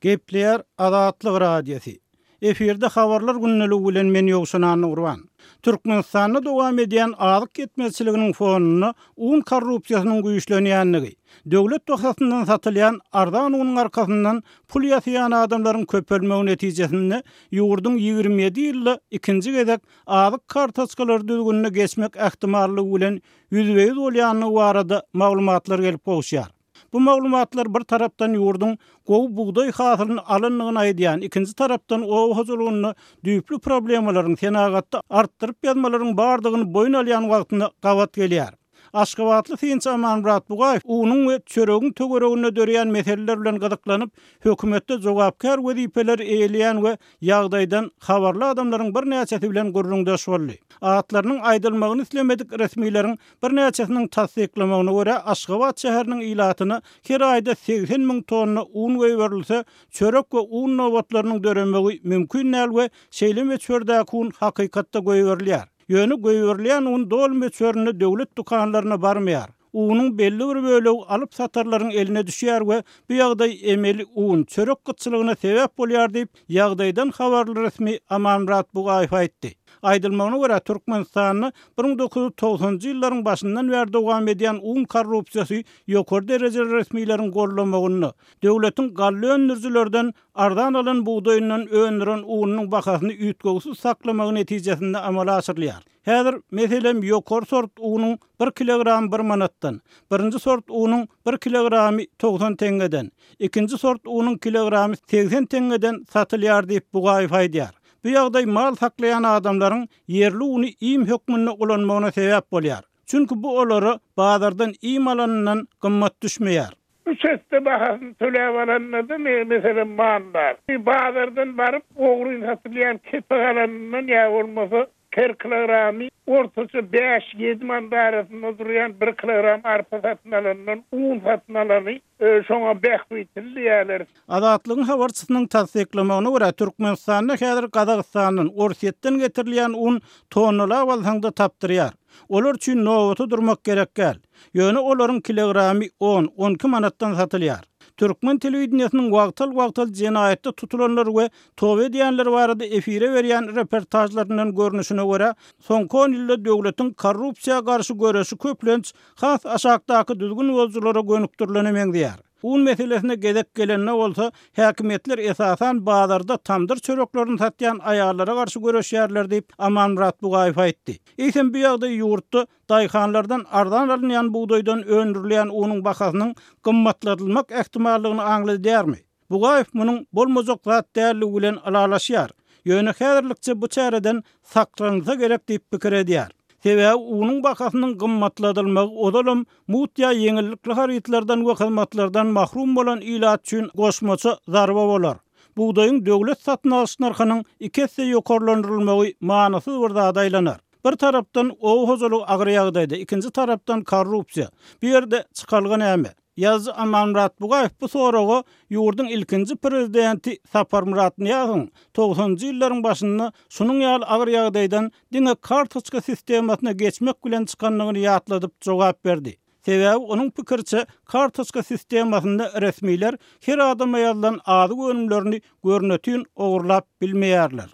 Gepleýär Azatlyk Radiosy. Efirde Habarlar gündeligi bilen men Ýowşan Annagurban. Türkmenistanda dowam edýän azyk ýetmezçiliginiň fonunda un korrupsiýasynyň güýçlenýändigi, döwlet bahasyndan satylýan arzan unuň arkasyndan pul ýasaýan adamlaryň köpelmegi netijesinde ýurduň 27 ýylda ikinji gezek azyk kartoçkalary düzgünine geçmek ähtimallygy bilen ýüzbe-ýüz bolýandygy barada maglumatlar gelip gowuşýar. Bu maglumatlar bir tarapdan ýurduň gowy bugdaý hasylyny alandygyny aýdýan, ikinji tarapdan oba hojalygynda düýpli problemalaryň, senagatda artdyryp ýazmalaryň bardygyny boýun alýan wagtyna gabat gelýär. Aşgabatly synçy Amanmyrat Bugaýew unuň we çöregiň töwereginde döreýän meseleler bilen gyzyklanyp, hökümetde jogapkär wezipeleri eýeleýän we ýagdaýdan habarly adamlaryň birnäçesi bilen gürrüňdeş boldy. Atlarynyň aýdylmagyny islemedik resmileriň Birnäçesiniň tassyklamagyna görä, Aşgabat şäheriniň ilatyna her aýda 80 müň tonna un goýberilse, çörek we un nobatlarynyň döremegi mümkin däl we şeýle möçberdäki un hakykatda goýberilýär. Ýöne goýberilýän un doly möçberinde döwlet dükanlaryna barmaýar. Unuň belli bir bölegi alyp-satarlaryň eline düşýär we bu ýagdaý emeli un, çörek gytçylygyna sebäp bolýar diýip, ýagdaýdan habarly resmi Amanmyrat Bugaýew aýtdy. Aýdylmagyna görä, Türkmenistanda 1990-njy ýyllaryň başyndan bäri dowam edýän un korrupsiýasy ýokary derejeli resmileriň gollamagynda, döwletiň galla öndürijilerden arzan alan bugdaýyndan öndüren ununyň bahasyny üýtgewsiz saklamagy netijesinde amala aşyrylýar. Häzir, meselem, ýokary sort unuň bir kilogramy bir manatdan, birinji sort unuň bir kilogramy 90 teňňeden, ikinji sort unuň kilogramy 80 teňňeden satylýar diýip, Bugaýew aýdýar. Bu ýagdaý mal saklaýan adamlaryň ýerli uny iým hökmünde ulanmagyna sebäp bolýar. Çünki bu olara bazardan iým alanyndan gymmat düşmeýär. Üç esse bahasyny töläp alanda-da, meselem, maldar. Bazardan baryp, ogryn satylýan kepek alanyndan ýa bolmasa her kilogramy ortaça bäş-ýedi manat arasynda durýan bir kilogram arpa satyn alandan un satyn alany şoňa bähbitli diýýärler. Azatlygyň habarçysynyň tassyklamagyna görä, Türkmenistanda häzir Gazagystandan, Orsýetden getirilýän un tonnalap alsaň-da tapdyrýar. Olar üçin nobata durmak gerek däl. Ýöne olaryň kilogramy on, on iki manatdan satylýar. Türkmen telewideniýesiniň wagtal-wagtal jenaýatda tutulanlar we toba edýänler barada efire berýän reportažlaryndan görnüşine görä, soňky on ýylda döwletiň korrupsiýa garşy göreşi köplenç has aşakdaky düzgün bozujylara gönükdirilene meňzeýär. Un meselesine gezek gelende bolsa, häkimiýetler esasan bazarda tamdyr çöreklerini satýan aýallara garşy göreşýärler diýip, Amanmyrat Bugaýew aýtdy. Eýsem bu ýagdaý ýurtda daýhanlardan arzan alynýan bugdaýdan öndürilýän unuň bahasynyň gymmatladylmak ähtimallygyny aňladýarmy? Bugaýew munuň bolmajak zat däldigi bilen ylalaşýar. Ýöne häzirlikçe bu çäreden saklanylsa gerek diýip pikir edýär. Sebäbi unuň bahasynyň gymmatladylmagy ozalam mugt ýa ýeňillikli harytlardan we hyzmatlardan mahrum bolan ilat üçin goşmaça zarba bolar. Bugdaýyň döwlet satyn alyş nyrhynyň iki esse ýokarlandyrylmagy manysyz bir zada aýlanar. Bir tarapdan oba hojalygy agyr ýagdaýda, ikinji tarapdan korrupsiýa. Bu ýerde çykalga näme? Ýazyjy Amanmyrat Bugaýew bu soraga ýurduň ilkinji prezidenti Saparmyrat Nyýazowyň togsanynjy ýyllaryň başynda şunuň ýaly agyr ýagdaýdan diňe kartoçka sistemasyna geçmek bilen çykandygyny ýatladyp jogap berdi. Sebäbi onuň pikiriçe, kartoçka sistemasynda resmiler her adama ýazylan azyk önümlerini görnetin ogurlap bilmeýärler.